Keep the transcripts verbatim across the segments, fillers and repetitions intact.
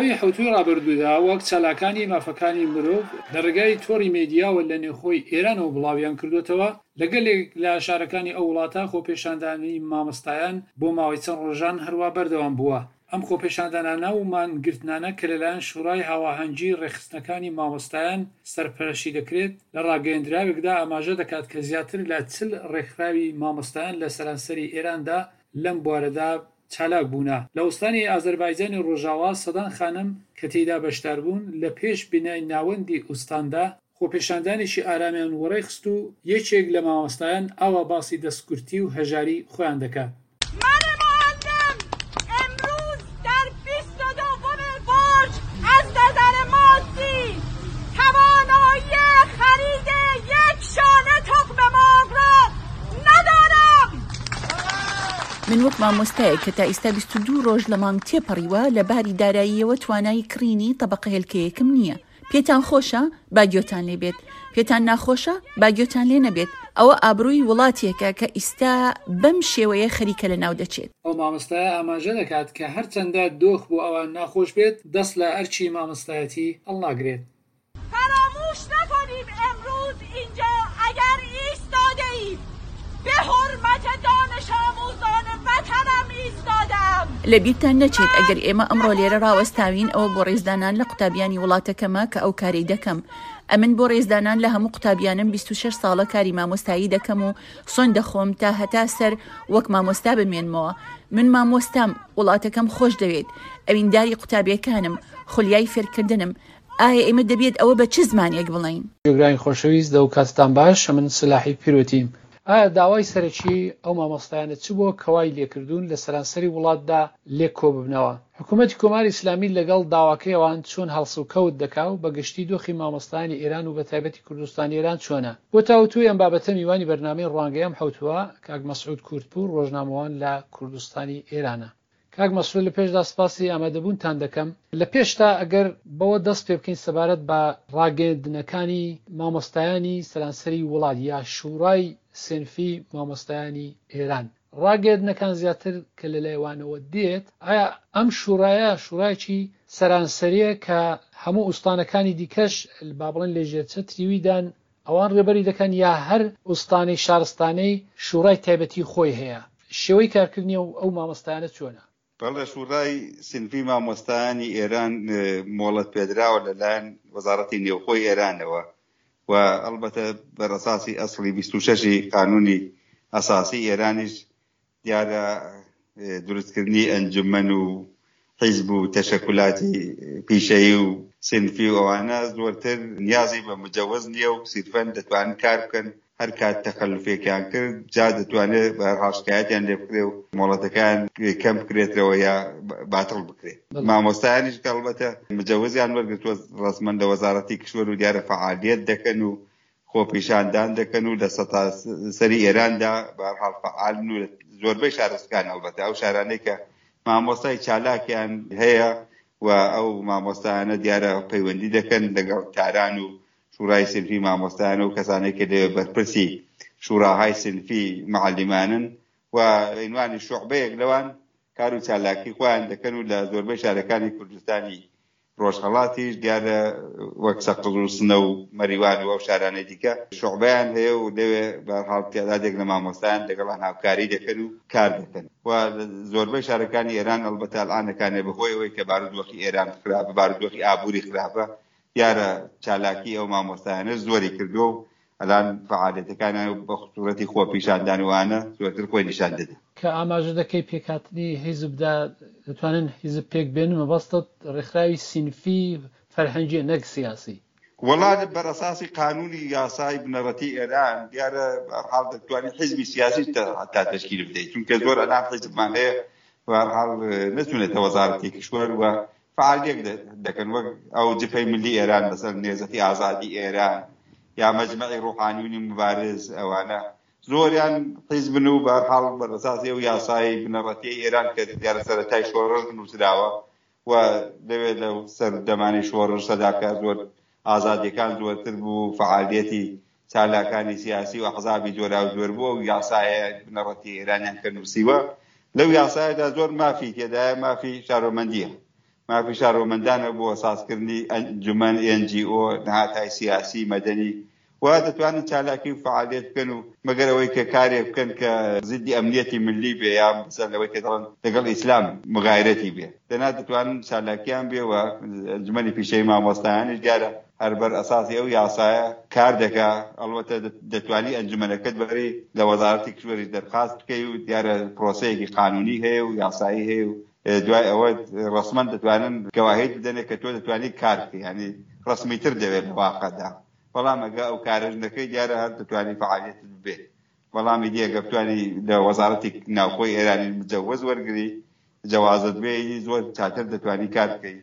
ماوەی حەوتووی ڕابردوودا وەک چالاکانی مافەکانی مرۆڤ لە ڕێگای تۆڕی مێدیاوە لە نێوخۆی ئێرانەوە بڵاویان کردووەتەوە، لە گەلێک لە شارەکانی ئەو وڵاتە خۆپێشاندانی مامۆستایان بۆ ماوەی چەند ڕۆژان هەروا بەردەوام بووە. ئەم خۆپێشاندانانە و مانگرتنانە کە لەلایەن شوڕای هاواهەنگی ڕێکخستنەکانی مامۆستایان سەرپەرشتی دەکرێت، لە ڕاگەیەندراوێکدا ئاماژە دەکات کە زیاتر لە چل ڕێکخراوی مامۆستایان لە سەرانسەری ئێراندا لەم بوارەدا چالاک بوونە. لە ئوستانی ئازەربایجانی ڕۆژاوا سەدان خانم کە تێیدا بەشدار بوون لە پێش بینای ناوەندی ئوستاندا خۆپێشاندانێکی ئارامیان وەڕێ خست و یەکێک لە مامۆستایان ئاوا باسی دەستکورتی و هەژاری خۆیان دەکات. من معلم امروز در بیست و دوم برج از نظر مادی توانایی خرید یک شانه تخم مرغ را ندارم. من وەک مامۆستایەک کە تا ئیستا بیست و دوو ڕۆژ لە مانگ تێپەڕیوە لە باری داراییەوە توانای کڕینی تەبەقە هێلکەیەکم نییە. پێتان خۆشە؟ با گوێتان لێ بێت. پێتان ناخۆشە؟ با گوێتان لێ نەبێت. ئەوە ئابڕووی وڵاتێکە کە ئیستا بەم شێوەیە خەریکە لەناو دەچێت. ئەو مامۆستایە ئاماژە دەکات کە هەرچەندە دۆخ بۆ ئەوان ناخۆش بێت، دەست لە ئەرکی مامۆستایەتی هەڵناگرێت. فراموش نکنیم امروز اینجا اگر ایستاده ایم به حرمت دانش آموزان وطنم ایستادم. لە بیرتان نەچێت ئەگەر ئێمە ئەمڕۆ لێرە ڕاوەستاوین ئەوە بۆ ڕێزدانان لە قوتابیانی وڵاتەکەمە کە ئەو کارەی دەکەم. ئەمن بۆ ڕێزدانان لە هەموو قوتابیانم بیست و شەش ساڵە کاری مامۆستایی دەکەم و سۆن دەخۆم تا هەتا سەر وەک مامۆستا بمێنمەوە. من مامۆستام، وڵاتەکەم خۆش دەوێت، ئەوینداری قوتابیەکانم، خولیای فێرکردنم. ئایا ئێمە دەبێت ئەوە بە چ زمانێک بڵێین؟ گوێگرانی خۆشەویست، دەو کاتتان باش. من سلاحی پیرۆتیم. ئایا داوای سەرەکی ئەو مامۆستایانە چ بووە کەوای لێکردوون لە سەرانسەری وڵاتدا لێک کۆ ببنەوە؟ حکوومەتی کۆماری ئیسلامی لەگەڵ داواکەیەوان چۆن هەڵسوکەوت دەکا و بەگشتی دۆخی مامۆستایانی ئێران و بە تایبەتی کوردستانی ئێران چۆنە؟ بۆ تاوتوێی ئەم بابەتە میوانی بەرنامەی ڕوانگەی ئەم حەوتووە کاک مەسعود کوردپوور، ڕۆژنامەوان لە کوردستانی ئێرانە. کاک مەسعود، لە پێشدا سپاسی ئامادەبوونتان دەکەم. لە پێشتا ئەگەر بەوە دەست پێ بکەین سەبارەت بە ڕاگەیاندنەکانی مامۆستایانی سەرانسەری وڵات یا شوڕای سێنفی مامۆستایانی ئێران، ڕاگەیاندنەکان زیاتر کە لە لایوانەوە دێت، ئایا ئەم شوڕایە شوڕایەکی سەرانسەریە کە هەموو ئوستانەکانی دیکەش با بڵێن لێژێر چەتریویدان ئەوان ڕێبەری دەکەن، یا هەر ئوستانەی شارستانەی شوڕای تایبەتی خۆی هەیە؟ شێوەی کارکردنی ئەو مامۆستایانە چۆنە؟ بەڵێ، شوڕای سنفی مامۆستایانی ئێران مۆڵەت پێدراوە لەلایەن وەزارەتی نێوخۆی ئێرانەوە و ئەلبەتە بەر ئەساسی ئەسڵی بیست و شەشی قانونی ئەساسی ئێرانیش دیارە دروستکردنی ئەنجومەن و حیزب و تەشەکولاتی پیشەیی و سنفی و ئەوانە زۆرتر نیازی بە مجەوەز نییە و سیرفەن دەتوانن کار بکەن. هەر کات تەخەلفێکیان کرد جا دەتوانێت بە هەر حاڵ شکایەتیان لێ بکرێ و مۆڵەتەکان کەم بکرێتەوە یا باتڵ بکرێت. مامۆستایانیش کە ئەڵبەتە مجەوزیان وەرگرتووە ڕەسمەن لە وەزارەتی کشوەر و دیارە فەعالیەت دەکەن و خۆپیشاندان دەکەن و لە سەرتاسەری ئێراندا بە هەر حاڵ فەعالن و زۆربەی شارستان ئەڵبەتە ئەو شارانەی کە مامۆستای چالاکیان هەیە و ئەو مامۆستایانە دیارە پەیوەندی دەکەن لەگەڵ تاران و شورای سنفی مامۆستایان و کەسانێک کە لەوێ بەرپرسی شوراهای سنفی معلمانن و عنوانی شعبەیەک لەوان کار و چالاکی خۆیان دەکەن و لە زۆربەی شارەکانی کوردستانی ڕۆژهەڵاتیش دیارە وەک سەقز و سنە و مەریوان و ئەو شارانەی دیکە شعبەیان هەیە و لەوێ بەهەرحاڵ تعدادێک لە مامۆستایان لەگەڵان هاوکاری دەکەن و کار دەکەن. و زۆربەی شارەکانی ئێران ئەلبەتە ئەلئانەکانێ بەهۆی ئەوەی کە بارودۆخی ئێران خراپە، بارودۆخی ئابووری خراپە، دیارە چالاکی ئەو مامۆستایانە زۆری کردووە و ئەلان فعالیەتەکانیان بە خسوورەتی خۆپیشاندان وانە زۆرتر خۆی نیشان دەدەن. کە ئاماژە دەکەی پێکهاتنی حیزبدا دەتوانن حیزب پێک بێنن، مەبەستت ڕێکخراوی سینفی فەرهەنگیە نەک سیاسی؟ وەڵا بەر ئەساسی قانونی یاسای بنەڕەتی ئێران دیارە بەهەرحاڵ دەتوانین حیزبی سیاسی تا تەشکیل بدەیت، چونکە زۆر ئەلان حیزبمان هەیە بەهەرحاڵ نەچوونێتە وەزارەتی کشوەر و فعالیەت دەکەن، وەک ئەو جبهەی ملی ئێران مەسەلەن نێزەتی ئازادی ئێران یا مەجمعی ڕوحانیونی مبارز، ئەوانە زۆریان حیزبن و بەهەرحاڵ بەر ئەساسی ئەو یاسای بنەڕەتی ئێران کە دیارە سەرەتای شۆڕش نووسراوە و لەوێ لەو سەردەمانی شۆڕش سەداکە زۆر ئازادیەکان زۆرتر بوو، فعالیەتی چالاکانی سیاسی و ئەحزابی جۆراو زۆر بوو. ئەو یاسایە بنەڕەتی ئێرانیان کە نووسیوە لەو یاسایەدا زۆر مافی تێدایە، مافی شارۆمەندیە. مافی شارۆمەندانە بۆ سازکردنی ئەنجومەن ئێن جی ئۆ، نهادهای سیاسی مەدەنی و دەتوانن چالاکی و فعالیت بکەن و مەگەر ئەوەی کە کارێک بکەن کە زیدی ئەمنیەتی ملی بێ یا مثلا ئەوەی کە دەڵێن لەگەڵ ئیسلام مغایرەتی بێ، دەنا دەتوانن چالاکیان بێ و ئەنجومەنی پیشەی مامۆستایانیش دیارە هەر بەر ئەساسی ئەو یاسایە کار دەکا. ئەڵبەتە دەتوانی ئەنجومەنەکەت بەری لە وەزارەتی کشوەریش دەرخواست بکەی و دیارە پرۆسەیەکی قانونی هەیە و یاسایی هەیە و دوای ئەوە ڕەسمەن دەتوانن گەواهیت بدەنێ کە تۆ دەتوانی کار بکەی، یعنی ڕەسمیتر دەوێت لە واقعدا. بەڵام ئەگە ئەو کارەش نەکەی دیارە هەر دەتوانی فعالیەتت ببێ. بەڵام ئیدی ئەگە بتوانی لە وەزارەتی ناوخۆی ئێرانی مجەوەز وەرگری جەوازت بێ، زۆر چاتر دەتوانی کار بکەی.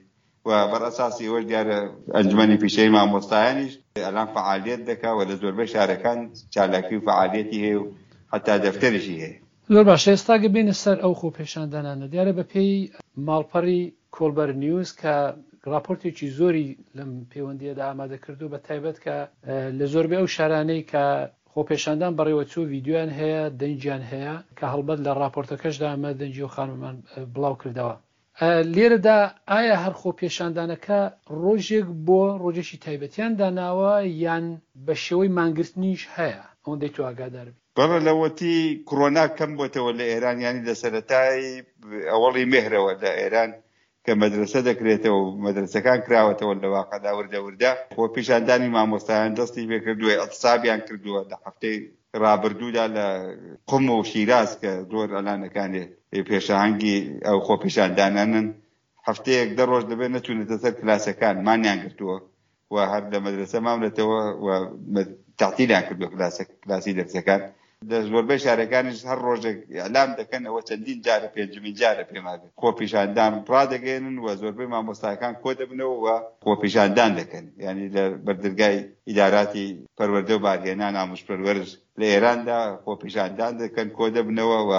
و بەر ئەساسی ئەوەش دیارە ئەنجومەنی پیشەی مامۆستایانیش ئەلان فعالیەت دەکا و لە زۆربەی شارەکان چالاکی و فعالیەتی هەیە و حتا دەفتەریشی هەیە. زۆر باشە. ئێستا گە بێنە سەر ئەو خۆپێشاندانانە، دیارە بە پێی ماڵپەڕی کۆڵبەر نیوز کە راپۆرتێکی زۆری لەم پەیوەندیەدا ئامادە کردو، بە تایبەت کە لە زۆربەی ئەو شارانەی کە خۆپێشاندان بەڕێوەچوو ڤیدیۆیان هەیە، دەنگیان هەیە، کە هەڵبەت لە راپۆرتەکەشدا ئەمە دەنگی و خانومان بڵاو کردەوە. لێرەدا ئایا هەر خۆپێشاندانەکە ڕۆژێک بۆ ڕۆژێکی تایبەتیان داناوە یان بە شێوەی مانگرتنیش هەیە؟ ئەوەندەی تو ئاگادار بی. بەڵێ، لەوەتی کۆرۆنا کەم بۆتەوە لە ئێران، یعنی لە سەرەتای ئەوەڵی مێهرەوە لە ئێران کە مەدرسە دەکرێتەوە، مەدرسەکان کراوەتەوە لە واقعدا وردە وردە خۆپیشاندانی مامۆستایان دەستی پێکردووە، ئەتسابیان کردووە. لە هەفتەی ڕابردوودا لە قوم و شیراز کە زۆر ئەلانەکانێ پێشاهەنگی ئەو خۆپیشاندانانن، هەفتەیەک دە ڕۆژ دەبێت نەچوونەتە سەر کلاسەکان، مانیان گرتووە و هەر لە مەدرسە ماونەتەوە و تەعتیلیان کردووە کلاسی دەرسەکان. لە زۆربەی شارەکانیش هەر ڕۆژێک ئیعلام دەکەن، ئەوە چەندین جارە، پێنجمین جارە پێماگە خۆپیشاندان ڕادەگەیەنن و زۆربەی مامۆستاکان کۆ دەبنەوە و خۆپیشاندان دەکەن. یعنی لە بەردەرگای ئیداراتی پەروەردە و بارهێنان ئاموژپەروەرش لە ئێراندا خۆپیشاندان دەکەن، کۆ دەبنەوە و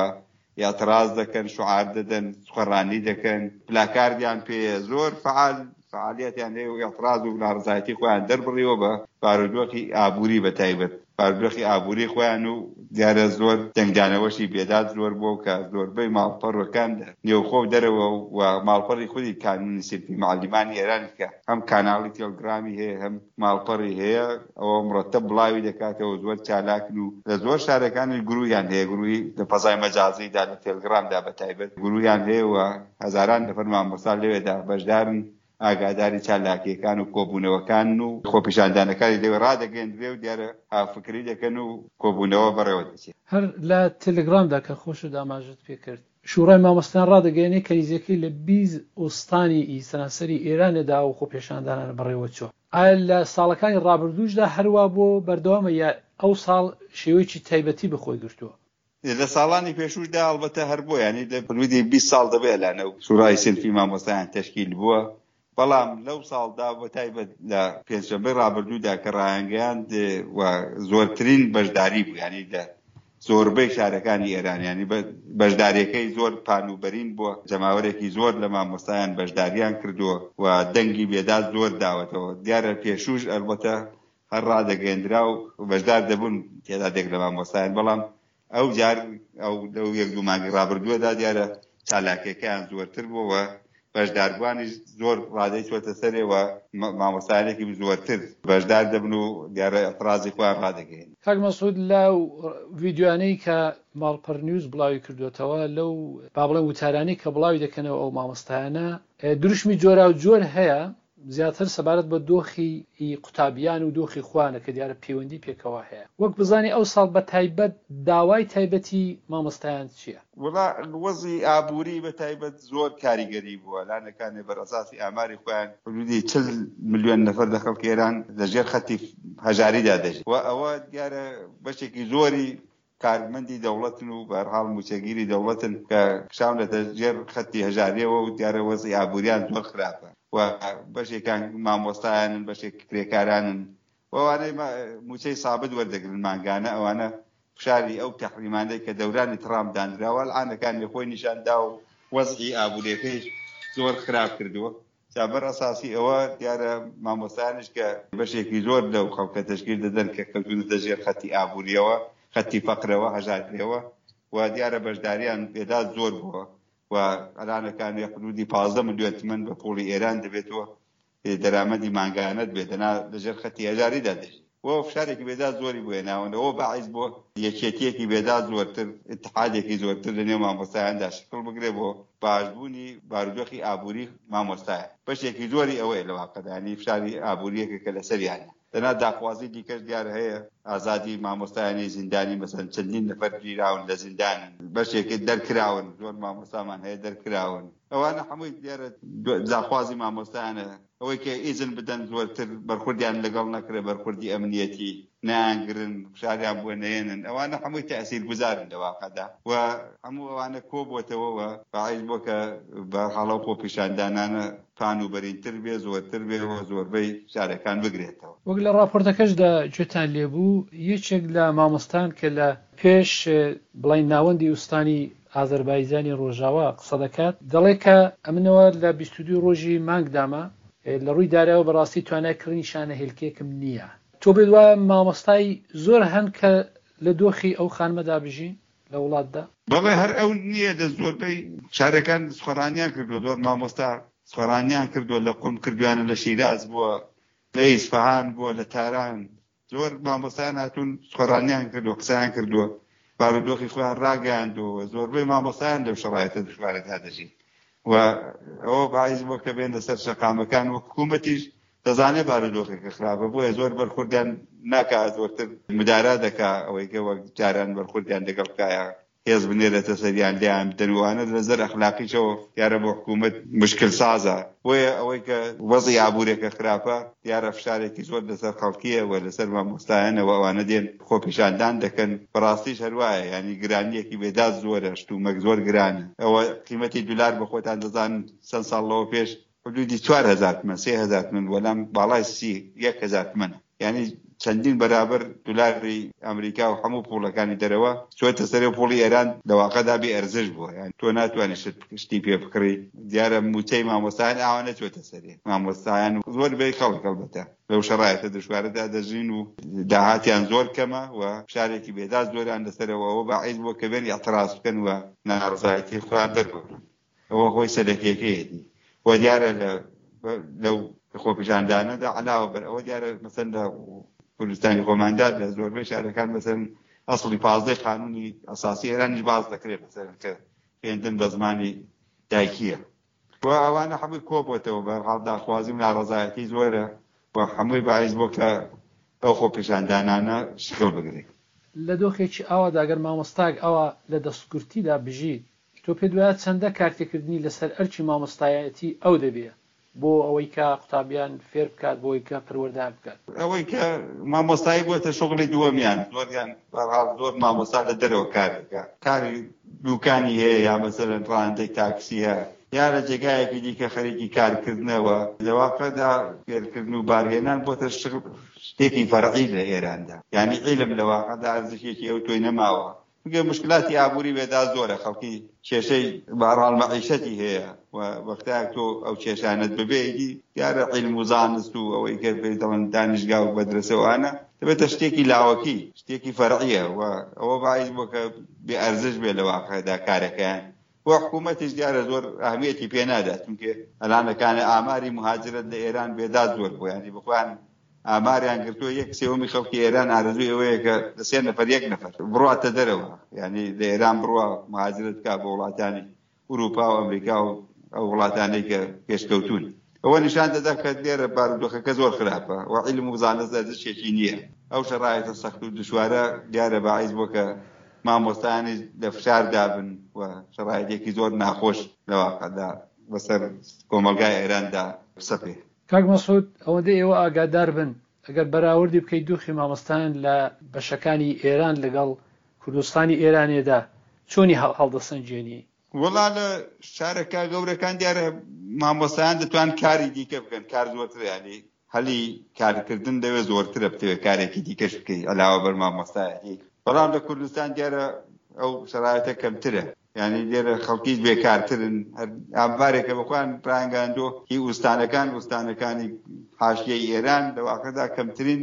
اعتراض دەکەن، شعار دەدەن، سخەڕانی دەکەن، پلاکاردیان پێیە، زۆر فعال فعالیەتیان هەیە و اعتراض و ناڕەزایەتی خۆیان دەربڕیوە بە بارودۆخی ئابووری، بە تایبەت بارودۆخی ئابووری خۆیان و دیارە زۆر دەنگدانەوەشی بێداد زۆر بووە کە زۆربەی ماڵپەڕەکان نێوخۆ و دەرەوە و ماڵپەڕی خودی کانونی سینفی معەلیمانی ئێران کە هەم کاناڵی تێلگرامی هەیە هەم ماڵپەڕی هەیە، ئەوە مرەتەب بڵاوی دەکاتەوە، زۆر چالاکن و لە زۆر شارەکانی گروهیان هەیە، گروهی لە فەزای مەجازیدا لە تێلگرامدا بە تایبەت گروهیان هەیە و هەزاران نەفەر مامۆستا لەوێدا بەشدارن، ئاگاداری چالاکیەکان و کۆبوونەوەکان و خۆپیشاندانەکانی لەوێ ڕادەگەیەندرێ و دیارە هاوفکری دەکەن و کۆبوونەوە بەڕێوە دەچێت. هەر لە تەلگرامدا کە خۆشت ئاماژەت پێکرد، شوڕای مامۆستایان ڕادەگەیەنێ کە نزیکەی لە بیست ئوستانی سەرانسەری ئێرانەدا و خۆپێشاندانانە بەڕێوە چووە. ئایا لە ساڵەکانی ڕابردووشدا هەروە بۆ بەردەوامە یا ئەو ساڵ شێوەیەکی تایبەتی بخۆی گرتووە؟ لە ساڵانی پێشوشدا ئەڵبەتە هەر بۆ، یعنی لە حدودی بیست ساڵ دەبێت لانە شوڕای سینفی مامۆستایان تەشکیل بووە، بەڵام لەو ساڵدا بە تایبەت لە پێنجشەنبەی ڕابردوودا کە ڕایانگەیاند و زۆرترین بەشداری بوو، یعنی لە زۆربەی شارەکانی ئێران، یعنی بەشداریەکەی زۆر پانوبەرین بووە، جەماوەرێکی زۆر لە مامۆستایان بەشداریان کردووە و دەنگی بێداد زۆر داوەتەوە. دیارە پێشوش ئەلبەتە هەر ڕادەگەیەندرا و بەشدار دەبوون تێدادێک لە مامۆستایان، بەڵام ئەو جار ئەو لەو یەک دوو مانگی ڕابردووەدا دیارە چالاکیەکەیان زۆرتر بووە، بەشداربووانیش زۆر ڕادەی چۆتە سەرێ و مامۆستایانێکی زۆرتر بەشدار دەبن و دیارە ئەترازی خۆیان ڕادەگەیەنن. کاک مەسعود، لەو ڤیدیۆیانەی کە ماڵپەڕ نیوز بڵاوی کردوێتەوە، لەو با بڵێن وتارانەی کە بڵاوی دەکەنەوە ئەو مامۆستایانە، دروشمی جۆرا و جۆر هەیە زیاتر سەبارەت بە دۆخی قوتابیان و دۆخی خوانە کە دیارە پەیوەندی پێکەوە هەیە. وەک بزانی ئەو ساڵ بە تایبەت داوای تایبەتی مامۆستایان چییە؟ وڵا وەزی ئابووری بە تایبەت زۆر کاریگەری بووە. لانەکانێ بەر ئەساسی ئاماری خۆیان حدودی چل ملیۆن نەفەر لە خەڵکی ئێران لەژێر خەتی هەژاریدا دەژی و ئەوە دیارە بەشێکی زۆری کارمەندی دەوڵەتن و بەرحاڵ موچەگیری دەوڵەتن کە کشاونەتە ژێر خەتی هەژاریەوە و دیارە وەزی ئابووریان زۆر خراپە و بەشێکان مامۆستایانن، بەشێک کرێکارانن و ئەوانەی موچەی سابت وەردەگرن مانگانە، ئەوانە فشاری ئەو تەحریمانەی کە دەورانی ترامپ دانراوە العانەکانی خۆی نیشاندا و وەزعی ئابووریەکەی زۆر خراپ کردووە. جا بەر ئەساسی ئەوە دیارە مامۆستایانیش کە بەشێکی زۆر لەو خەڵکە تەشکیل دەدەن کە کەوتونەتە ژێر خەتی ئابووریەوە، خەتی فەقرەوە، هەژاریەوە و دیارە بەشداریان بێداد زۆر بووە و ئەلانەکانی حدودی پازدە ملیۆن تمەن بە پوڵی ئێران دەبێتەوە دەرامەتی مانگانەت بێت، دەنا لەژێر خەتی هەژاریدا دەژی. و فشارێکی بێداد زۆری بۆ هێناونەوە، باعیس بۆ یەکێتیەکی بێداد زۆرتر، اتحادێکی زۆرتر لە نێو مامۆستایاندا شکڵ بگرێ بۆ باشبوونی بارودۆخی ئابووری مامۆستایان. بەشێکی زۆری ئەوەیە لە واقعدا، یعنی فشاری ئابووریەکە کە لەسەریانە. دەنا داخوازی دیکەش دیار هەیە، ئازادی مامۆستایانی زیندانی، مەسەن چەندین نەفەر گیراون لە زیندانن، بەشێکی دەرکراون، زۆر مامۆستامان هەیە دەرکراون. ئەوانە هەمووی دیارە داخوازی مامۆستایانە، ئەوەی کە ئیزن بدەن زۆرتر بەرخوردیان لەگەڵ نەکرێ، بەرخوردی ئەمنیەتی نایانگرن، فشاریان بۆ نەیەنن، ئەوانە هەمووی تەئسیر گوزارن لە واقعدا و هەموو ئەوانە کۆ بۆتەوە و باعیس بۆ کە بە حاڵەو خۆپیشاندانانە پان و بەرینتر بێ، زۆرتر بێ و زۆربەی شارەکان بگرێتەوە. وەک لە راپۆرتەکەشدا گوێتان لێبوو، یەکێک لە مامۆستان کە لە پێش بڵین ناوەندی ئوستانی ئازەربایجانی ڕۆژاوا قسە دەکات، دەڵێ کە ئەمنەوە لە بیست و دوو ڕۆژی مانگدامە، لە ڕووی دارایەوە بەڕاستی توانای کڕینی شانە هێلکێکم نییە. تۆ بێت وایە مامۆستای زۆر هەن کە لە دۆخی ئەو خانمەدا بژین لە وڵاتدا؟ بەڵێ، هەر ئەو نییە، لە زۆربەی شارەکان سخۆرانیان کردووە، زۆر مامۆستا سخۆرانیان کردووە، لە قوم کردویانە، لە شیراز بووە، لە ئیسفەهان بووە، لە تاران زۆر مامۆستایان هاتوون سخۆرانیان کردووە، قسەیان کردووە، بارودۆخی خۆیان ڕاگەیاندووە. زۆربەی مامۆستایان لەو شەرایطە دشوارەدا دەژین و ئەوە باعیس بووە کە بێن لەسەر شەقامەکان و حکوومەتیش دەزانێت بارودۆخێکە خراپە، بۆیە زۆر بەرخوردیان ناکا، زۆرتر مدارا دەکا ئەوەی کە وەک جاران بەرخوردیان لەگەڵ بکایە، هێز بنێرێتە سەریان، لێیان بدەن. وانە لە زەر ئەخلاقیشەوە دیارە بۆ حکوومەت مشکل سازە، بۆیە ئەوەی کە وەزعی ئابوورێکە خراپە دیارە فشارێکی زۆر لەسەر خەڵکیە و لەسەر مامۆستایانەوە ئەوانە دێن خۆپیشاندان دەکەن. بەڕاستیش هەروایە، یعنی گرانیەکی بێداد زۆرە، شتومەک زۆر گرانە. ئەوە قیمەتی دولار بە خۆتان دەزانن چەند ساڵ لەوە پێش حدودی چوار هەزار تمەن، سێ هەزار تمەن، وەلام باڵای سی یەک هەزار تمەنە، یعنی چەندین بەرابەر دولاری ئەمریکا و هەموو پوڵەکانی دەرەوە چۆتە سەرێ و پوڵی ئێران لە واقعدا بێ ئەرزش بووە، یعنی تۆ ناتوانیت شتی پێ بکڕی. دیارە موچەی مامۆستایان ئاوا نەچۆتە سەرێ، مامۆستایان زۆر بەی خەڵک هەڵبەتە لەو شەرایطە دشوارەدا دەژین و داهاتیان زۆر کەمە و فشارێکی بێداد زۆریان لەسەرەوە، ئەوە باعیس بووە کە بێن ئیعتراز بکەن و ناڕەزایەتی خۆیان دەرببڕن. ئەوە خۆی سەرەکیەکەیەتی و دیارە لەو خۆپیشاندانەدا علاوە بەر ئەوە دیارە مەسەن لە کوردستانی خۆماندا لە زۆربەی شارەکان مەسەن ئەسڵی پازدەی قانونی ئەساسی ئێرانیش باز دەکرێت مەسەن کە خوێندن بە زمانی دایکیە و ئەوانە هەمووی کۆبۆتەوە. بەهەرحاڵ داخوازی و ناڕەزایەتی زۆرە و هەمووی باعیس بۆ کە ئەو خۆپیشاندانانە شکڵ بگرێت. لە دۆخێکی ئاوادا ئەگەر مامۆستاک ئەوە لە دەستکورتیدا بژیت، تۆ پێت وایە چەندە کارتێکردنی لەسەر ئەرکی مامۆستایەتی ئەو دەبێ بۆ ئەوەی کە قوتابیان فێر بکات، بۆ ئەوەی کە پەروەردەیان بکات؟ ئەوەی کە مامۆستایی بۆتە شغلی دووەمیان، زۆریان بەهەرحاڵ زۆر مامۆستا لە دەرەوە کار دەکات، کاری دوکانی هەیە یا مەسەلەن ڕانندەی تاکسیە یا لە جێگایەکی دیکە خەریکی کارکردنەوە. لە واقعدا فێرکردن و بارهێنان بۆتە شتێکی فەرعی لە ئێراندا، یعنی عیلم لە واقعدا ئەرزشێکی ئەو تۆی نەماوە. بگە مشکلاتی ئابووری بێدا زۆرە، خەڵکی کێشەی بەهەرحاڵ مەعیشەتی هەیە و وەختایەک تۆ ئەو کێشانەت ببێ دیارە عیلم و زانست و ئەوەی کە پێی دەڵێن دانیشگا و مەدرەسەوانە دەبێتە شتێکی لاوەکی، شتێکی فەرعیە و ئەوە باعیس بووە کە بێ ئەرزش بێ لە واقعدا کارەکەیان. و حکوومەتیش دیارە زۆر ئەهمیەتی پێ نادات، چونکە ئەلانەکانە ئاماری مهاجرەت لە ئێران بێداد زۆر بوو، یعنی بخۆیان ئاماریان گرتووە یەک سێوەمی خەڵکی ئێران ئارەزووی ئەوەیە کە لە سێ نەفەر یەک نەفەر بڕواتە دەرەوە، یعنی لە ئێران بڕوا مهاجرەت بکا بۆ وڵاتانی ئەوروپا و ئەمریکا و ئەو وڵاتانەی کە پێشکەوتون. ئەوە نیشان دەدا کە لێرە بارودۆخەکە زۆر خراپە و عیلم و زانست ئەرزشێکی نییە. ئەو شەرایطە سەخت و دشوارە دیارە باعیس بووە کە مامۆستایانی لە فشاردا بن و شەرایطێکی زۆر ناخۆش لە واقعدا بەسەر کۆمەڵگای ئێراندا بسەپێ. کاک مەسعود، ئەوەندە ئێوە ئاگادار بن ئەگەر بەراوردی بکەیت دۆخی مامۆستایان لە بەشەکانی ئێران لەگەڵ کوردستانی ئێرانێدا چۆنی هەڵدەسەنگێنی؟ وەڵا لە شارەکە گەورەکان دیارە مامۆستایان دەتوان کاری دیکە بکەن، کار زۆرترە، یعنی هەلی کارکردن لەوێ زۆرترە، بتەوێت کارێکی دیکەش بکەی علاوە بەر مامۆستایەتی. بەڵام لە کوردستان دیارە ئەو شەرایطە کەمترە، یعنی لێرە خەڵکیش بێکارترن. هەر ئامارێکە بەخۆیان ڕایانگەیاندووە هی ئوستانەکان، ئوستانەکانی حاشیەی ئێران لە واقعدا کەمترین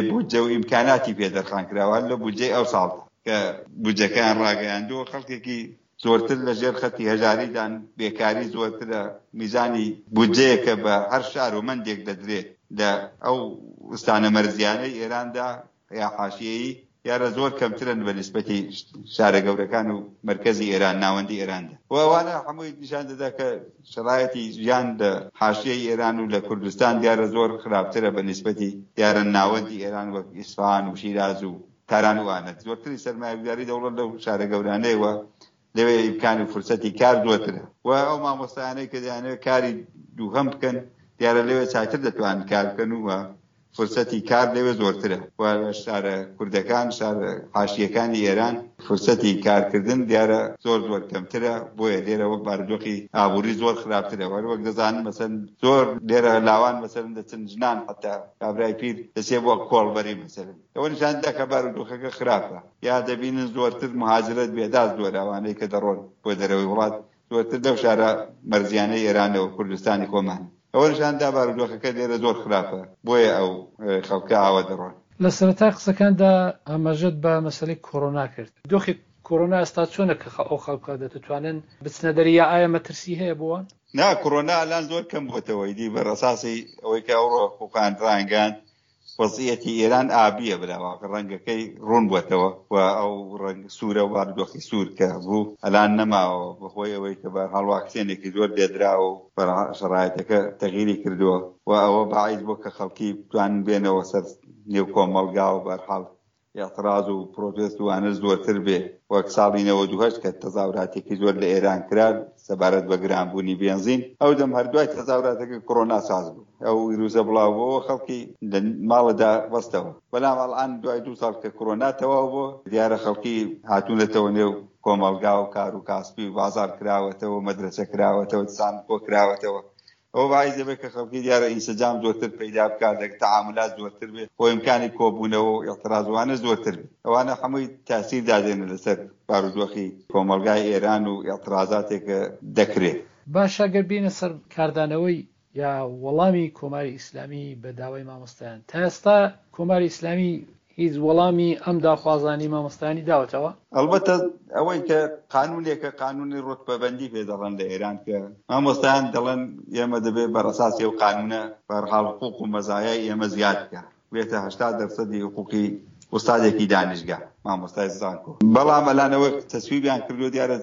بودجە و ئیمکاناتی پێدەرخان کراوە لە بودجەی ئەو ساڵدا کە بودجەکەیان ڕاگەیاندووە. خەڵکێکی زۆرتر لە ژێر خەتی هەژاریدان، بێکاری زۆرترە، میزانی بودجەیە کە بە هەر شارۆمەندێک دەدرێت لە ئەو ئوستانە مەرزیانەی ئێراندا یا حاشیەیی دیارە زۆر کەمترن بە نیسبەتی شارە گەورەکان و مەرکەزی ئێران، ناوەندی ئێراندا. و ئەوانە هەمووی نیشان دەدا کە شەرایتی ژیان لە حاشیەی ئێران و لە کوردستان دیارە زۆر خراپترە بە نیسبەتی دیارە ناوەندی ئێران وەک ئیسفەهان و شیراز و تاران و ئەوانە. زۆرتری سەرمایەگوزاری دەوڵەت لەو شارە گەورانەیە و لەوێ ئیمکان و فرسەتی کار زۆرترە و ئەو مامۆستایانەی کە دەیانەوێت کاری دووهەم بکەن دیارە لەوێ چاکتر دەتوانن کار بکەن و فرسەتی کار لەوێ زۆرترە و لە شارە کوردەکان، شارە حاشیەکانی ئێران فرسەتی کارکردن دیارە زۆر زۆر کەمترە، بۆیە لێرە وەک بارودۆخی ئابووری زۆر خراپترە. هەر وەک دەزانن مەسەلەن زۆر لێرە لاوان مەسەلەن دەچن، ژنان حەتا کابرای پیر دەچێ بۆ کۆڵبەری مەسەلەن، ئەوە نیشان دەدا کە بارودۆخەکە خراپە. یا دەبینن زۆرتر مهاجرەت بێداز زۆرە، ئەوانەی کە دەڕۆن بۆ دەرەوەی وڵات زۆرتر لەو شارە مەرزیانەی ئێرانەوە کوردستانی خۆمان. ئەوە نیشان دا بارودۆخەکە لێرە زۆر خراپە، بۆیە ئەو خەڵکە ئاوا دەڕۆن. لە سەرەتای قسەکاندا ئاماژەت بە مەسەلەی کۆرۆنا کرد. دۆخی کۆرۆنا ئێستا چۆنە کە ئەو خەڵکە دەتوانن بچنە دەرێ یا ئایا مەترسی هەیە بۆ وان؟ نا، کۆرۆنا ئەلان زۆر کەم بۆتەوە، ئیدی بە ئەساسی ئەوەی کە ئەوڕۆ خۆخان ڕایانگەیاند وەزعیەتی ئێران ئابیە، بلا واقع ڕەنگەکەی ڕوون بووەتەوە و ئەو ڕەنگ سوورە و بارودۆخی سوور کە بوو ئەلان نەماوە، بەهۆی ئەوەی کە بەهەرحاڵ واکسێنێکی زۆر لێدراوە و شەرایتەکە تەغیری کردووە و ئەوە باعیس بووە کە خەڵکی بتوانن بێنەوە سەر نێو کۆمەڵگا و بەهەرحاڵ ئیعتراز و پرۆتێست و ئەوانە زۆرتر بێ، وەک ساڵی نەوەد و هەشت کە تەزاوراتێکی زۆر لە ئێران کرا سەبارەت بە گرانبوونی بێنزین، ئەو دەم هەر دوای تەزاوراتەکە کۆرۆنا ساز بوو، ئەو ویروسە بڵاو بۆوە خەڵکی لە ماڵەدا بەستەوە، بەلام ئەلئان دوای دوو ساڵ کە کۆرۆنا تەواو بۆ دیارە خەڵکی هاتوونەتەوە نێو کۆمەڵگا و کار و کاسپی و بازاڕ کراوەتەوە، مەدرەسە کراوەتەوە، زانکۆ کراوەتەوە، ئەوە باعیس دەبێت کە خەڵکی دیارە ئینسجام زۆرتر پەیدا بکات، لە تەعامولات زۆرتر بێت و ئیمکانی کۆبوونەوە و ئیعتراز وانە زۆرتر بێت. ئەوانە هەمووی تاسیر دادێنە لەسەر بارودۆخی کۆمەڵگای ئێران و ئیعترازاتێک کە دەکرێت. باشە گەر بێینە سەر کاردانەوەی یا وەڵامی کۆماری ئیسلامی بە داوای مامۆستایان، تا ئێستا کۆماری ئیسلامی هیچ وەڵامی ئەم داخوازانەی مامۆستایانی داوەتەوە؟ ئەڵبەتە ئەوەی کە قانونێکە، قانونی ڕوتبەبەندی پێ دەڵێن لە ئێران، کە مامۆستایان دەڵێن ئێمە دەبێت بە ڕەساسی ئەو قانونە بەهەرحاڵ حقوق و مەزایای ئێمە زیاد بکا، بێتە هەشتا دەرسەدی حقوقی ئوستادێکی دانیشگا، مامۆستای زانکۆ. بەڵام ئەلان ئەوە تەسویبیان کردووە دیارە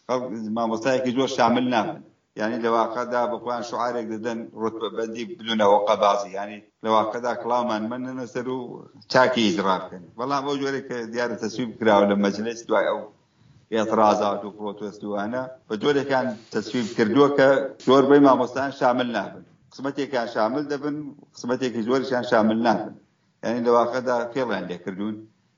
خەڵک مامۆستایەکی زۆر شامل نابن، یانی لە واقعدا بە خۆیان شعارێک دەدەن ڕوتبەبەندی بدون هۆقەبازی، یانی لە واقعدا کڵاومان مەننە سەر و چاکی ئیجرا بکەن. بەڵام ئەو جۆرێک کە دیارە تەسویب کراوە لە مەجلس دوای ئەو ئێعترازات و پرۆتێست و ئەوانە بە جۆرێکیان تەسویب کردووە کە زۆربەی مامۆستایان شامل نابن، قسمەتێکیان شامل دەبن، قسمەتێکی زۆریشیان شامل نابن، یانی لە واقعدا فێڵیان لێکردوون.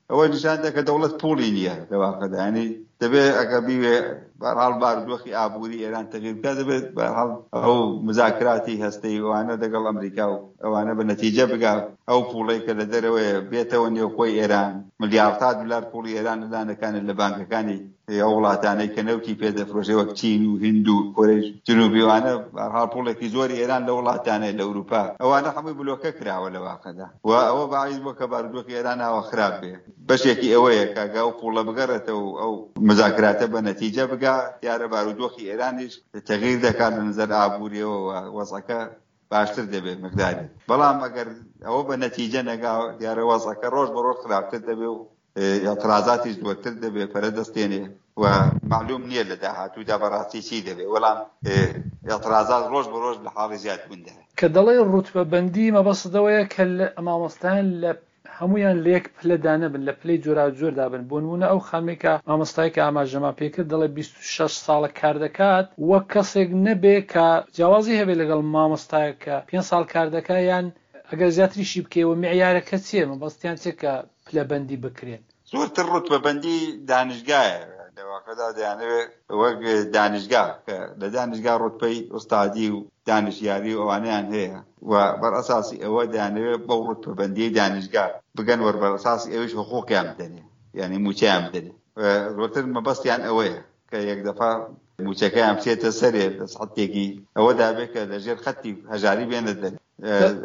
ئەوە نیشان دەدا کە دەوڵەت پوڵی نییە لە واقعدا، یانی دەبێ ئەگەر بیوێ بەهەرحاڵ بارودۆخی ئابووری ئێران تەغییر بکات، دەبێت بەهەرحاڵ ئەو مزاکراتی هەستەی ئەوانە لەگەڵ ئەمریکا و ئەوانە بە نەتیجە بگا، ئەو پوڵەی کە لە دەرەوەیە بێتەوە نێوخۆی ئێران، ملیاردها دلار پوڵی ئێران لە لانەکانە لە بانکەکانی ئەو وڵاتانەی کە نەوتی پێ دەفرۆشێ وەک چین و هند و کۆرەی جنوبی ئەوانە، بەهەرحاڵ پوڵێکی زۆری ئێران لە وڵاتانەیە لە ئەوروپا، ئەوانە هەمووی بلۆکە کراوە لە واقعدا و ئەوە باعیس بووە کە بارودۆخی ئێران ئاوا خراپ بێ. بەشێکی ئەوەیە کە ئەگەر ئەو پوڵە بگەڕێتەوە و ئەو مزاکراتە بە نەتیجە بگا، دیارە بارودۆخی ئێرانیش تەغییر دەکات لە نظر ئابووریەوە و وەزعەکە باشتر دەبێت مقدارێک. بەڵام ئەگەر ئەوە بە نەتیجە نەگا، دیارە وەزعەکە ڕۆژ بە ڕۆژ خراپتر دەبێ و ئیعترازاتیش زۆرتر دەبێ، پەرە دەستێنێ و مەعلووم نییە لە داهاتوودا بەڕاستی چی دەبێ. بەڵام ئیعترازات ڕۆژ بە ڕۆژ لە حاڵی زیادبووندایە. کە دەڵێی ڕوتبەبەندی مەبەستت ئەوەیە کە مامۆستایان لە هەموویان لە یەک پلەدا نەبن، لە پلەی جۆراوجۆردا بن. بۆ نموونە ئەو خانمەی کە مامۆستای کە ئاماژەمان پێ کرد دەڵێ بیست و شەش ساڵە کار دەکات، وەک کەسێک نەبێ کە جیاوازی هەبێ لەگەڵ مامۆستایەک کە پێنج ساڵ کار دەکا، یان ئەگەر زیاتریشی بکەیەوە معیارەکە چییە، مەبەستیان چییە کە پلەبەندی بکرێن؟ زۆرتر ڕوتبەبەندی دانیشگایە، لە واقعدا دەیانەوێت وەک دانیشگا کە لە دانیشگا ڕوتبەی ئوستادی و دانشیاری و ئەوانەیان هەیە و بەر ئەساسی ئەوە دەیانەوێت بەو ڕوتبەبەندیی دانیشگا بگەن و بەر ئەساسی ئەویش حقوقیان بدەنێ، یعنی مووچەیان بدەنێ. زۆرتر مەبەستیان ئەوەیە کە یەک دەفا مووچەکەیان بچێتە سەرێ لە سەحەتێکی ئەوەدا بێ کە لەژێر خەتی هەژاری بێنە دەرێ.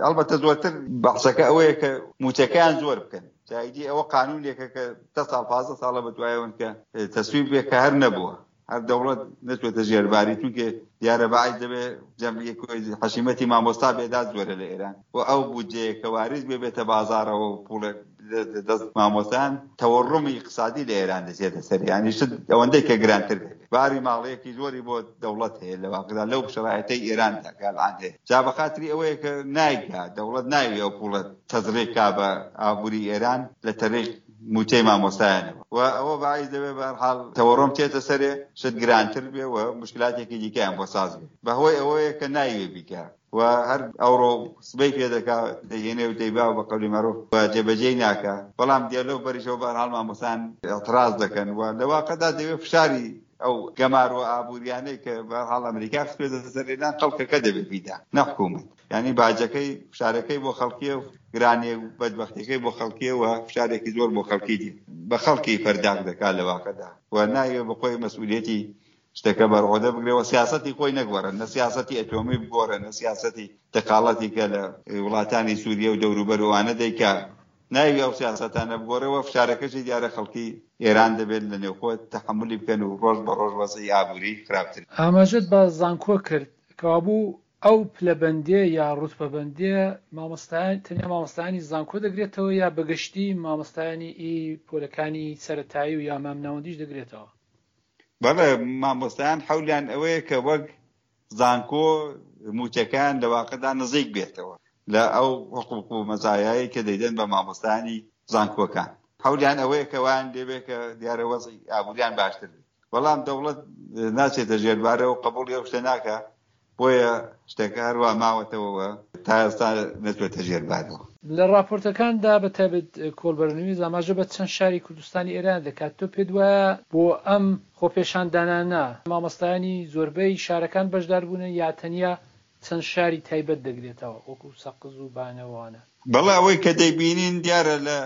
ئەڵبەتە زۆرتر بەحسەکە ئەوەیە کە مووچەکەیان زۆر بکەن. جایدی ئەوە قانونێکە کە دە ساڵ پازدە ساڵە بەدوایەوەن کە تەسویب بێ کە هەر نەبووە. هەر دەوڵەت نەچێتە ژێرباری، چونکە دیارە باعیس دەبێ جەمعیە حەشیمەتی مامۆستا بێداد زۆرە لە ئێران و ئەو بودجەیە کە واریز بێ بێتە بازارەوە و پوڵێک دەست مامۆستان تەوەڕومی ئیقتسادی لە ئێران دەچێتە سەر، یعنی شت ئەوەندەی کە گرانتر دەبێت. باری ماڵەیەکی زۆری بۆ دەوڵەت هەیە لە واقعدا لەو شەرایطەی ئێراندا کە الان هەیە. جا بە خاتری ئەوەیە کە نایکا دەوڵەت ناوی ئەو پوڵە تەزریق کا بە ئابووری ئێران لە تەریق موچەی مامۆستایانەوە و ئەوە باعیس دەبێت بە هەر حاڵ تەوەڕۆم تێتە سەرێ شت گرانتر بێ و مشکلاتێکی دیکەیان بۆ ساز بێ بەهۆی ئەوەیە کە نایوێ بیکا و هەر ئەوڕۆ سبەی پێ دەکا دەیهێنێ و دەیبا و بە قەولی مەعروف و جێبەجێی ناکا. بەڵام دیالۆگ بەریشەوە بە هەر حاڵ مامۆستایان ئیعتراز دەکەن و لە واقعدا دەوێ فشاری ئەو گەمارۆ ئابووریانەی کە بە هەر حاڵ ئەمریکا خستوێتە سەر ئێران خەڵکەکە دەبێ بیدا نە حکوومەت، یعنی باجەکەی فشارەکەی بۆ خەڵکیە و گرانیە و بەدبەختیەکەی بۆ خەڵکیە و فشارێکی زۆر بۆ خەڵکی دی بە خەڵکی پەرداخت دەکات لە واقعدا و ناوێ بە خۆی مەسئولیەتی شتەکە بەرعۆدە بگرێ و سیاسەتی خۆی نەگۆڕێ، نە سیاسەتی ئەتۆمی بگۆڕێ، نە سیاسەتی دەخاڵەتی کە لە وڵاتانی سووریە و دەوروبەر ئەوانە دەیکا، ناوی ئەو سیاسەتانە بگۆڕێ و فشارەکەشی دیارە خەڵکی ئێران دەبێت لە نێوخۆ تەحەمولی بکەن و ڕۆژ بە ڕۆژ وەزعی ئابووری خراپتر. ئاماژەت بە زانکۆ کرد، کەوابوو ئەو پلەبەندیە یا ڕوتبەبەندیە مامۆستایان تەنیا مامۆستایانی زانکۆ دەگرێتەوە یا بەگشتی مامۆستایانی ئی پۆلەکانی سەرەتایی و یا مامناوەندیش دەگرێتەوە؟ بەڵێ، مامۆستایان حەولیان ئەوەیە کە وەک زانکۆ موچەکەیان لە واقعدا نزیک بێتەوە لە ئەو حقوق و مەزایایی کە دەیدەن بە مامۆستایانی زانکۆکان. حەولیان ئەوەیە کە وایان لێبێ کە دیارە وەزعی ئابووریان باشتر بێت، بەڵام دەوڵەت ناچێتە ژێربارەوە و قبوڵی ئەو شتە ناکا، بۆیە شتەکە هەروە ماوەتەوە تا ئێستا نەچێتە ژێربارەوە. لە راپۆرتەکاندا بە تایبەت کۆڵبەرنیوز ئاماژە بە چەند شاری کوردستانی ئێران دەکات، تۆ پێت وایە بۆ ئەم خۆپێشاندانانە مامۆستایانی زۆربەی شارەکان بەشدار بوون یا تەنیا چەند شاری تایبەت دەگرێتەوە وەکو سەقز و بانەوانە؟ بەڵێ، ئەوەی کە دەیبینین دیارە لە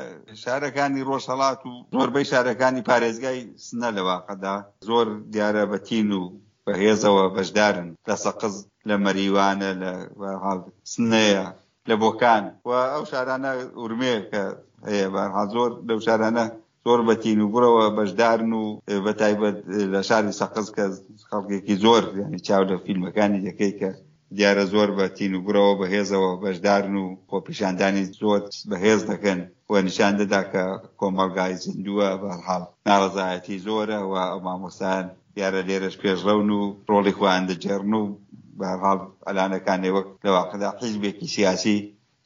شارەکانی ڕۆژهەڵات و زۆربەی شارەکانی پارێزگای سنە لە واقعدا زۆر دیارە بە تین و بەهێزەوە بەشدارن، لە سەقز، لە مەریوانە، لە سنەیە، لە بۆکان و ئەو شارانە، ئورمێ کە هەیە، بەهەرحاڵ زۆر لەو شارانە زۆر بە تین و گوڕەوە بەشدارن و بە تایبەت لە شاری سەقز کە خەڵکێکی زۆر یعنی چاو لە فیلمەکانی دەکەی کە دیارە زۆر بە تین و گوڕەوە بەهێزەوە بەشدارن و خۆپیشاندانی زۆر بەهێز دەکەن و نیشان دەدا کە کۆمەڵگای زیندووە. بەهەرحاڵ ناڕەزایەتی زۆرە و ئەو مامۆستایان دیارە لێرەش پێشڕەون و ڕۆڵی خۆیان دەگێڕن و بەهەرحاڵ ئەلانەکانێ وەک لە واقعدا حیزبێکی سیاسی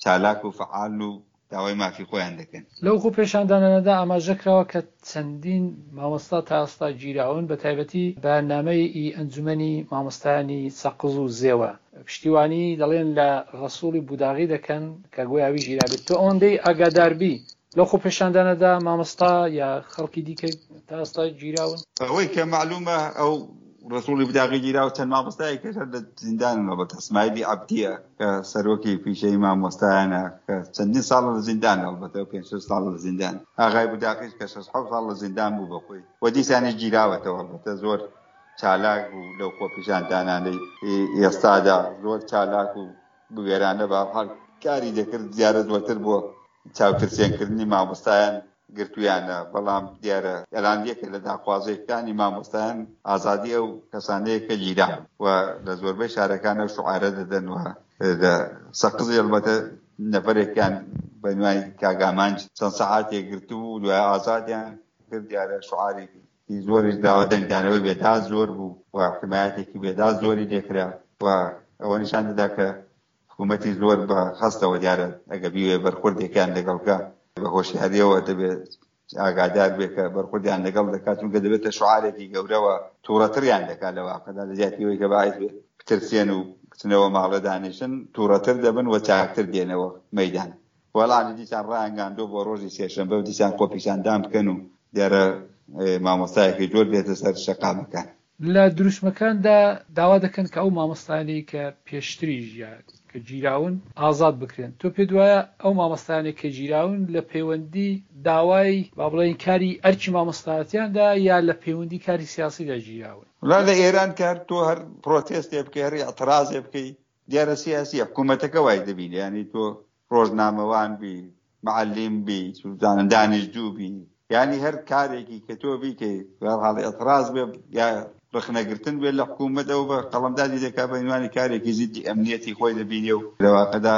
چالاک و فەعال و داوای مافی خۆیان دەکەن. لەو خۆپێشاندانانەدا ئاماژە کراوە کە چەندین مامۆستا تا ئێستا گیراون، بە تایبەتی بەیاننامەی ئی ئەنجومەنی مامۆستایانی سەقز و زێوە پشتیوانی دەڵێن لە ڕەسوڵی بوداغی دەکەن کە گۆیا وی گیرابێت. تۆ ئەوەندەی ئاگاداربی لەو خۆپێشاندانەدا مامۆستا یا خەڵکی دیکە تا ئێستا گیراون؟ ئەوەی کە مەعلومە ئەو ڕەسوڵی بوداغی گیراو چەند مامۆستایەکیش هەر لە زیندانن، ئەڵبەتە ئیسماعیلی عەبدیە کە سەرۆکی پیشەی مامۆستایانە کە چەندین ساڵە لە زیندان، ئەڵبەتە پێنج شەش ساڵە لە زیندان، ئاغای بوداغیش کە شەش حەوت ساڵ لە زیندان بوو بەخۆی و دیسانیش گیراوەتەوە، ئەڵبەتە زۆر چالاک بوو لەو خۆپیشاندانانەی ئێستادا، زۆر چالاک و بوێرانە بە هەرحاڵ کاری دەکرد، دیارە زۆرتر بۆ چاوترسێنکردنی مامۆستایان گرتویانە، بەڵام دیارە ئەلان یەکێ لە داخوازیەکانی مامۆستایان ئازادی ئەو کەسانەیە کە گیراون و لە زۆربەی شارەکان ئەو شعارە دەدەن و لە سەقزی ئەڵبەتە نەفەرێکیان بە نوای کاگامانج چەند سەعاتێک گرتبوو دوای ئازادیان کرد. دیارە شعاری زۆریش داوە، دەنگدانەوەی بێداد زۆر بوو و حمایەتێکی بێداد زۆری لێکرا و ئەوە نیشان دەدا کە حکوومەتی زۆر بە خەستەوە دیارە ئەگە بیوێ بەرخوردێکیان لەگەڵ بکە بە هۆشیاریەوە دەبێت ئاگادار بێ کە بەرخوردیان لەگەڵ دەکات، چونکە دەبێتە شعارێکی گەورەوە تووڕەتریان دەکات لە واقعدا، لە جیاتی ئەوەی کە باعث بێ بترسێن و بچنەوە ماڵە دانیشن، تووڕەتر دەبن و چاکتر دێنەوە مەیدان. وەڵام دیسان ڕایانگاندۆ بۆ ڕۆژی سێشەنبە و دیسان خۆپیشاندان بکەن و دیارە مامۆستایەکی زۆر دێتە سەر شەقامەکان. لە دروشمەکاندا داوا دەکەن کە ئەو مامۆستایانەی کە پێشتریش یا کە گیراون ئازاد بکرێن. تۆ پێت وایە ئەو مامۆستایانەی کە گیراون لە پەیوەندی داوای با بڵێین کاری ئەرکی مامۆستایەتیاندا یا لە پەیوەندی کاری سیاسیدا گیراون؟ وەڵا لە ئێران کە هەر تۆ هەر پرۆتێستێ بکەی، هەر ئیعترازێ بکەی، دیارە سیاسیە، حکوومەتەکە وای دەبینێ، یانی تۆ ڕۆژنامەوان بی، معلم بی، دانشجوو بی، یعنی هەر کارێکی کە تۆ بیکەی بەهەرحاڵ ئیعتراز بێ یا ڕەخنەگرتن بێت لە حکوومەت ئەو بە قەڵەمدادی دەکات بە عنوانی کارێکی زیدی ئەمنیەتی خۆی دەبینێ و لە واقعدا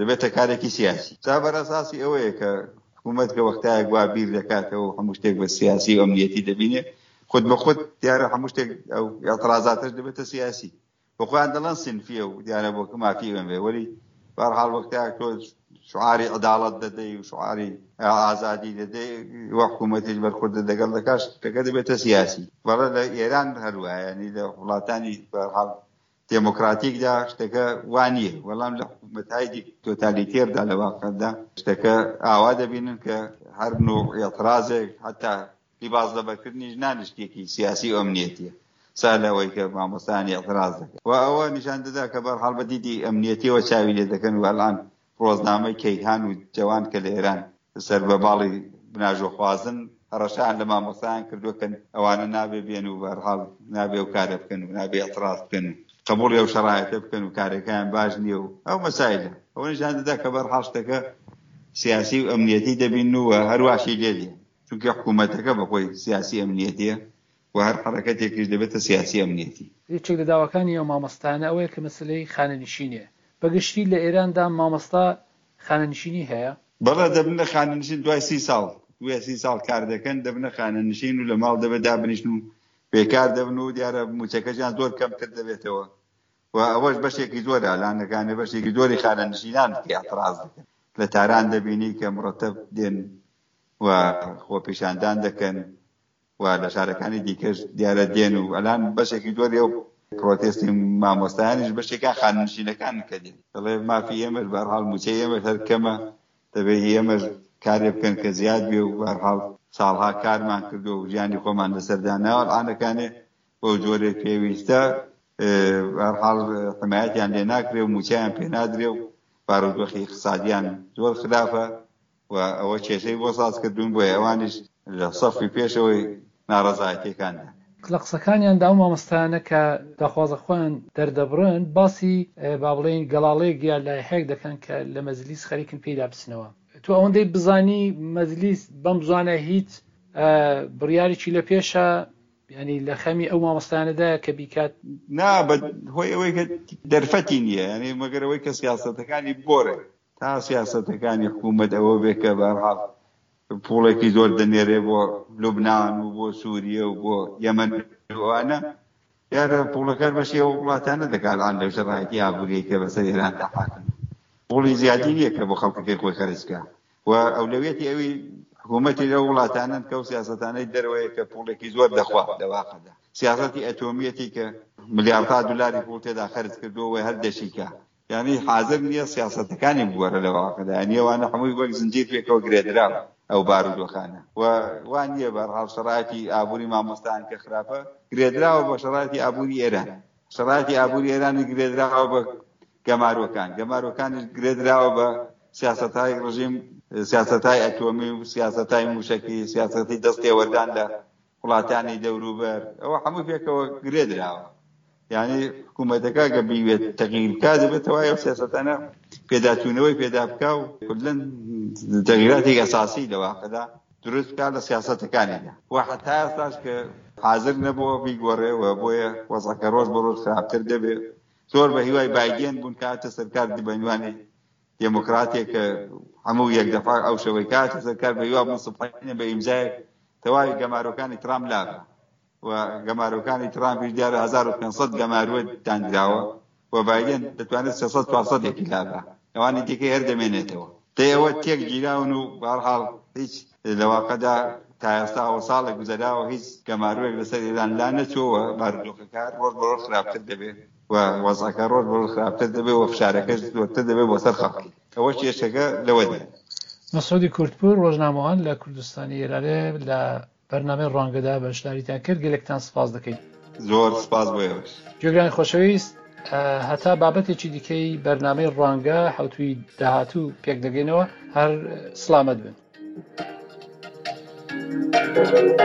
دەبێتە کارێکی سیاسی. جا بەرئەساسی ئەوەیە کە حکوومەت کە وەختایەک وا بیر دەکاتەوە و هەموو شتێک بە سیاسی و ئەمنیەتی دەبینێ، خود بە خود دیارە هەموو شتێک ئەو ئێعترازاتەش دەبێتە سیاسی. بە خۆیان دەڵێن سینفیە و دیارە بۆ مافی ئەوێن بێ، وەلی بەهەرحاڵ وەختایەک تۆ شعاری عدالەت دەدەی و شعاری ئازادی دەدەی و حکوومەتیش بەرخوردە دەگەڵ دەکات، شتەکە دەبێتە سیاسی. بەڵێ لە ئێران هەروایە، یعنی لە وڵاتانی بەهەرحاڵ دێموکراتیکدا شتەکە وا نییە، بەڵام لە حکوومەتهای تۆتالیتێردا لە واقعدا شتەکە ئاوا دەبینن کە هەر نوع ئێعترازێک حتا لیباس لەبەرکردنیش نانشتێکی سیاسی و ئەمنیەتیە، سا لەوەی کە مامۆستایان ئێعتراز دەکەن و ئەوە نیشان دەدا کە بەهەرحاڵ بە دیدی ئەمنیەتیەوە چاوی لێ دەکەن. و ئەلان ڕۆزنامەی کەیهان و جەوان کە لە ئێران سەر بە باڵی بناژۆخوازن هەڕەشەیان لە مامۆستایان کردووە کە ئەوانە نابێ بێن و بەهەرحاڵ نابێ ئەو کارە بکەن و نابێ ئێعتراز بکەن و قبوڵی ئەو شەرایەتە بکەن و کارەکەیان باش نییە و ئەو مەسایلە. ئەوە نیشان دەدا کە بەهەرحاڵ شتەکە سیاسی و ئەمنیەتی دەبین و هەرواشی لێ دێ، چونکە حکوومەتەکە بەخۆی سیاسی ئەمنیەتیە و هەر حەرەکەتێکیش دەبێتە سیاسی ئەمنیەتی. یەکێک لە داواکانی ئەو مامۆستایانە ئەوەیە کە مەسلەی خانەنشینیە. بەگشتی لە ئێراندا مامۆستا خانەنشینی هەیە؟ بەڵێ، دەبنە خانەنشین دوای سی ساڵ، دوای سی ساڵ کار دەکەن دەبنە خانەنشین و لە ماڵ دەبێت دابنیشن و بێکار دەبن و دیارە موچەکەشیان زۆر کەمتر دەبێتەوە و ئەوەش بەشێکی زۆرە لانەکانێ بەشێکی زۆری خانەنشینان کە ئێعتراز دەکەن. لە تاران دەبینی کە مڕەتەب دێن و خۆپیشاندان دەکەن و لە شارەکانی دیکەش دیارە دێن و ئەلان بەشێکی زۆری ئەو پرۆتێستی مامۆستایانیش بەشێکیان خانەنشینەکان کە دێن دەڵێ مافی ئێمەش بەهەرحاڵ موچەی ئێمەش هەر کەمە، دەبێت ئێمەش کارێ بکەن کە زیاد بێ و بەهەرحاڵ ساڵها کارمان کردو و ژیانی خۆمان لەسەر داناوە، ئەلانەکانێ بەو جۆرێک پێویستە بەهەرحاڵ حمایەتیان لێ ناکرێ و موچەیان پێ نادرێ و بارودۆخی اقتصادیان زۆر خراپە و ئەوە کێشەی بۆ ساز کردوون، بۆیە ئەوانیش لە سەفی پێشەوەی ناڕەزایەتیەکاندا. لە قسەکانیاندا ئەو مامۆستایانە کە داخوازە خۆیان دەردەبڕن باسی با بڵێین گەڵاڵەیەک یا لایحەیەک دەکەن کە لە مەجلیس خەریکن پێیدا بچنەوە. تۆ ئەوەندەی بزانی مەجلیس بەم زوانە هیچ بڕیارێکی لە پێشە، یعنی لە خەمی ئەو مامۆستایانەدایە کە بیکات؟ نا، بە هۆی ئەوەی کە دەرفەتی نییە، یعنی مەگەر ئەوەی کە سیاسەتەکانی بگۆڕێ، تا سیاسەتەکانی حکوومەت ئەوە بێ کە بەهەرحاڵ پوڵێکی زۆر دەنێرێ بۆ لوبناان و بۆ سووریە و بۆ یەمەن ئەوانە، دیارە پوڵەکان بەشی ئەو وڵاتانە دەکات ئەلان لەو شەرایەتی ئابووریەی کە بەسەر ئێراندا حاکم پوڵی زیادی نییە کە بۆ خەڵکەکەی خۆی خەرج بکا و ئەولەویەتی ئەوی حکوومەتی لەو وڵاتانەن کە ئەو سیاسەتانەی دەرەوەیە کە پوڵێکی زۆر دەخوا لە واقعدا. سیاسەتی ئەتۆمیەتی کە ملیاردها دلاری پوڵ تێدا خەرج کردووە و هەر دەشیکا، یعنی حاضر نییە سیاسەتەکانی بگۆڕێ لە واقعدا، یعنی ئەوانە هەمووی وەک زنجیر پێکەوە گرێدراوە ئەو بارودۆخانە و وا نییە بەهەرحاڵ شەرایەتی ئابووری مامۆستایان کە خراپە گرێدراوە بە شەرایەتی ئابووری ئێران، شەرایەتی ئابووری ئێرانی گرێدراوە بە گەمارۆکان، گەمارۆکانیش گرێدراوە بە سیاسەتهای ڕژیم، سیاسەتهای ئەتۆمی و سیاسەتهای موشەکی، سیاسەتی دەستێوەردان لە وڵاتانی دەوروبەر، ئەوە هەموو پێکەوە گرێدراوە. یعنی حکوومەتەکە کە بیوێت تەغییر بکات دەبێتەوە ئەو سیاسەتانە پێداچوونەوەی پێدا بکا و کلەن تەغییراتێکی ئەساسی لە واقعدا دروست بکات لە سیاسەتەکانیدا و حتا ئێستاش کە حاضر نەبووە بیگۆڕێ و بۆیە وەزعەکە ڕۆژ بە ڕۆژ خراپتر دەبێت. زۆر بە هیوای بایدێن بوون کاتە سەرکار بە عنوانی دێموکراتێک کە هەموو یەک دەفع ئەو شەوەی کاتە سەرکار بە هیوا بوون سبحینە بە ئیمزایەک تەواوی گەمارۆکانی ترامپ لابا و گەمارۆکانی ترامپیش دیارە هەزار و پێنج سەد گەماروە دانراوە و بایدن دەتوانێت سێ سەد چوار سەدێکی لابا، ئەوانی دیکەی هەر دەمێنێتەوە. دەی ئەوە تێک گیراون و بەهەرحاڵ هیچ لە واقعدا تا ئێستا ئەوە ساڵێک گوزەراوە هیچ گەمارۆیەک لەسەر ئێران لا نەچووەوە، بارودۆخەکە ڕۆژ بە ڕۆژ خراپتر دەبێت و وەزعەکە ڕۆژ بە ڕۆژ خراپتر دەبێت و فشارەکەش زۆرتر دەبێت بۆ سەر خەڵکی. ئەوە کێشەکە لەوەدایە. مەسعودی کوردپور ڕۆژنامەوان لە کوردستانی ئێرانێ لە بەرنامەی ڕوانگەدا بەشداریتان کرد، گەلێکتان سپاس دەکەین. زۆر سپاس بۆ ئێوەش. گوێگرانی خۆشەویست، هەتا بابەتێکی دیکەی بەرنامەی ڕوانگە حەوتووی داهاتوو پێک دەگەینەوە، هەر سڵامەت بن. Thank you.